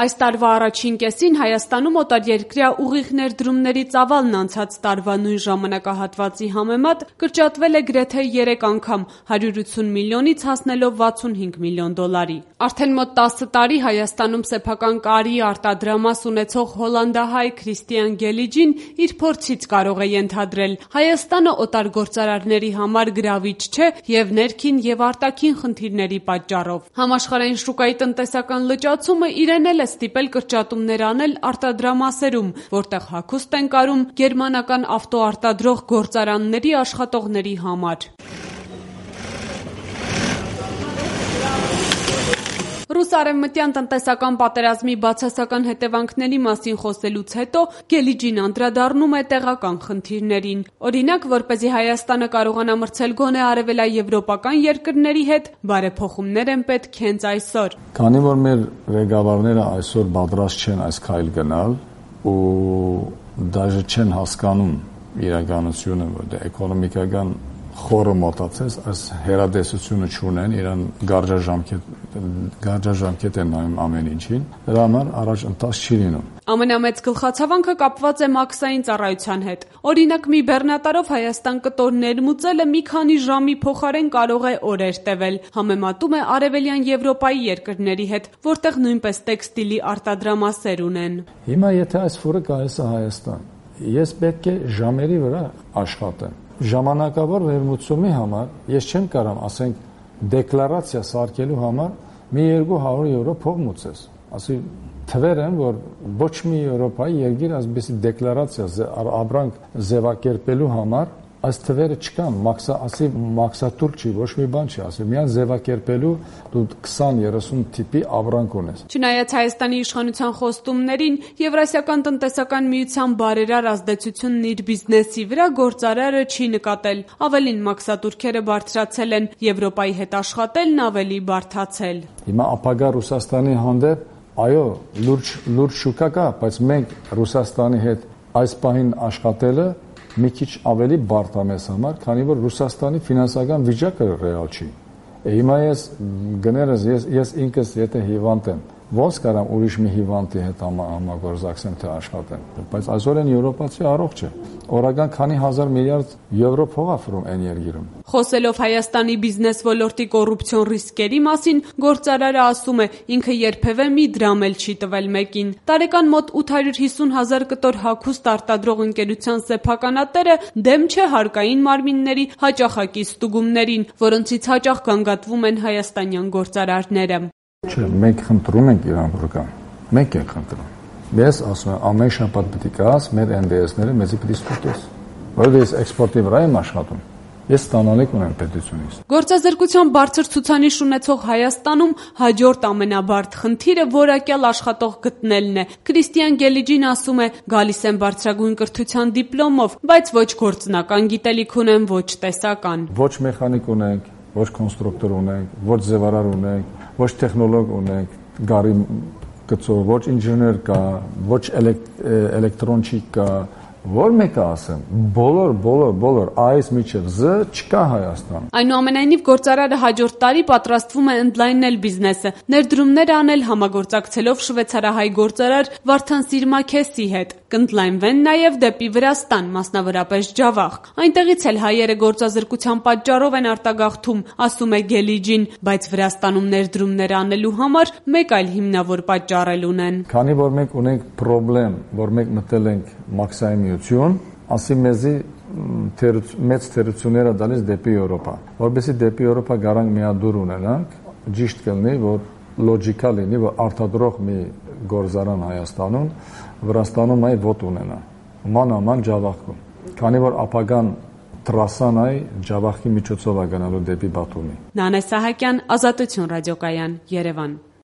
Այս տարվա առաջին կեսին Հայաստանում օտարերկրյա ուղիղ ներդրումների ծավալն անցած տարվա նույն ժամանակահատվածի համեմատ կրճատվել է գրեթե 3 անգամ, 180 միլիոնից հասնելով 65 միլիոն դոլարի։ Արդեն մոտ 10 տարի Հայաստանում սեփական կարի արտադրամաս ունեցող հոլանդահայ Քրիստիան Գելիջին իր փորձից կարող է ենթադրել. Հայաստանը օտար գործարարների համար գրավիչ չէ եւ ներքին եւ արտաքին խնդիրների պատճառով։ Համաշխարհային շուկայի տնտեսական լճացումը իրեն էլ է ստիպել կրճատումներ անել արտադրամասերում, որտեղ հագուստ են կարում գերմանական ավտոարտադրող գործարանների աշխատողների համար։ Ռուս-արևմտյան տնտեսական պատերազմի բացասական հետևանքների մասին խոսելուց հետո Գելիջին անդրադառնում է տեղական խնդիրներին։ Օրինակ, որպեսզի Հայաստանը կարողանա մրցել գոնե արևելաեվրոպական երկրների հետ, բարեփոխումներ են պետք հենց այսօր։ Քանի որ մեր ղեկավարները այսօր պատրաստ չեն այս քայլ գնալ ու դաժե չեն հասկանում իրականությունը, որ էկոնոմիկական խորը մոտացած, այս հերադեսությունը չունեն, իրան գարջաժամկետ են նայում ամեն ինչին, դրա համար առաջ ընթաց չի լինում։ Ամենամեծ գլխացավանքը կապված է մաքսային ծառայության հետ։ Օրինակ, մի բեռնատարով Հայաստան կտոր ներմուծելը մի քանի ժամի փոխարեն կարող է օրեր տևել, համեմատում է արևելյան Եվրոպայի երկրների հետ, որտեղ նույնպես տեքստիլի արտադրամասեր ունեն։ Հիմա եթե այս ֆուրը գալիս է Հայաստան, ես պետք է ժամերի վրա աշխատեմ։ Ժամանակավոր վերմուծումի համար ես չեմ կարող, ասենք, դեկլարացիա սարքելու համար մի 200 եվրո փող մուծես։ Ասի թվեր են, որ ոչ մի Եվրոպայի երկիր այսպիսի դեկլարացիա ապրանք ձևակերպելու համար այս թվերը չկան, մաքսատուր չի, ոչ մի բան չի, ասի միայն ձևակերպելու դու 20-30 տիպի ապրանք ունես։ Չնայած Հայաստանի իշխանության խոստումներին, Եվրասիական տնտեսական միության բարերար ազդեցությունն իր բիզնեսի վրա գործարարը չի նկատել։ Ավելին, մաքսատուրքերը բարձրացել են, Եվրոպայի հետ աշխատելն ավելի բարդացել։ Հիմա ապագա Ռուսաստանի հանդեպ, այո, լուրջ շուկա կա, բայց մենք Ռուսաստանի հետ այս պահին աշխատելը մի քիչ ավելի բարդ է մեզ համար, քանի որ Ռուսաստանի ֆինանսական վիճակը ռեալ չի։ Հիմա ես ինքս եթե հիվանդ եմ, ոնց կարամ ուրիշ մի հիվանդի հետ համագործակցեմ թե աշխատեմ, բայց այսօր են եվրոպացի առողջ է։ Օրական քանի հազար միլիարդ եվրո փող է ֆրում այն երկիրում։ Խոսելով Հայաստանի բիզնես ոլորտի կոռուպցիոն ռիսկերի մասին, գործարարը ասում է, ինքը երբևէ մի դրամ էլ չի տվել մեկին։ Տարեկան մոտ 850,000 կտոր հագուստ արտադրող ընկերության սեփականատերը դեմ չէ հարկային մարմինների հաճախակի ստուգումներին, որոնցից հաճախ գանգատվում են հայաստանյան գործարարները։ Չէ, մենք խնդրում ենք իրան ռուկան, մենք ենք խնդրում։ Ես ասում եմ, ամեն շաբաթ պետք է գաս մեր NDS-ները մեզի պետք է ստուգես, որովհետև ես էքսպորտի վրա եմ աշխատում։ Ես ստանալիք ունեմ պետությունից։ Գործազրկության բարձր ցուցանիշ ունեցող Հայաստանում հաջորդ ամենաբարդ խնդիրը որակյալ աշխատող գտնելն է։ Քրիստիան Գելիջին ասում է, գալիս են բարձրագույն կրթության դիպլոմով, բայց ոչ գործնական գիտելիք ունեն, ոչ տեսական։ Ոչ մեխանիկ ունենք, ոչ կոնստրուկտոր ունենք, ոչ ձևարար ունենք, ոչ տեխնոլոգ ունենք, գարի գծով, ոչ ինժեներ կա, ոչ էլեկտրոնչիկ կա, որ մեկը ասեմ, բոլոր այս միջև Զ չկա Հայաստան։ Այնուամենայնիվ գործարարը հաջորդ տարի պատրաստվում է ընդլայնել բիզնեսը, ներդրումներ անել համագործակցելով շվեյցարահայ գործարար Վարդան Սիրմաքեսի հետ։ Կընդլայնվեն նաև դեպի Վրաստան, մասնավորապես Ջավախ։ Այնտեղից էլ հայերը գործազրկության պատճառով են արտագաղթում, ասում է Գելիջին, բայց Վրաստանում ներդրումներ անելու համար մեկ այլ հիմնավոր պատճառ էլ ունեն։ Քանի որ մենք ունենք խնդրեմ, որ մենք մտել ենք մաքսային միություն, ասի մեզի մեծ թերությունները դալիս դեպի Եվրոպա։ Որովհետեւ դեպի Եվրոպա գարանք միադուր ունենանք, ճիշտ կլինի, որ լոջիկալ լինի, որ արտադրող մի գործարան Հայաստանում, Վրաստանում այ ոտ ունենա։ Մանաման Ջավախքում։ Քանի որ ապագան տրասան այ Ջավախի միջոցով է գնալու դեպի Բաթումի։ Նանե Սահակյան, Ազատություն ռադիոկայան, Երևան։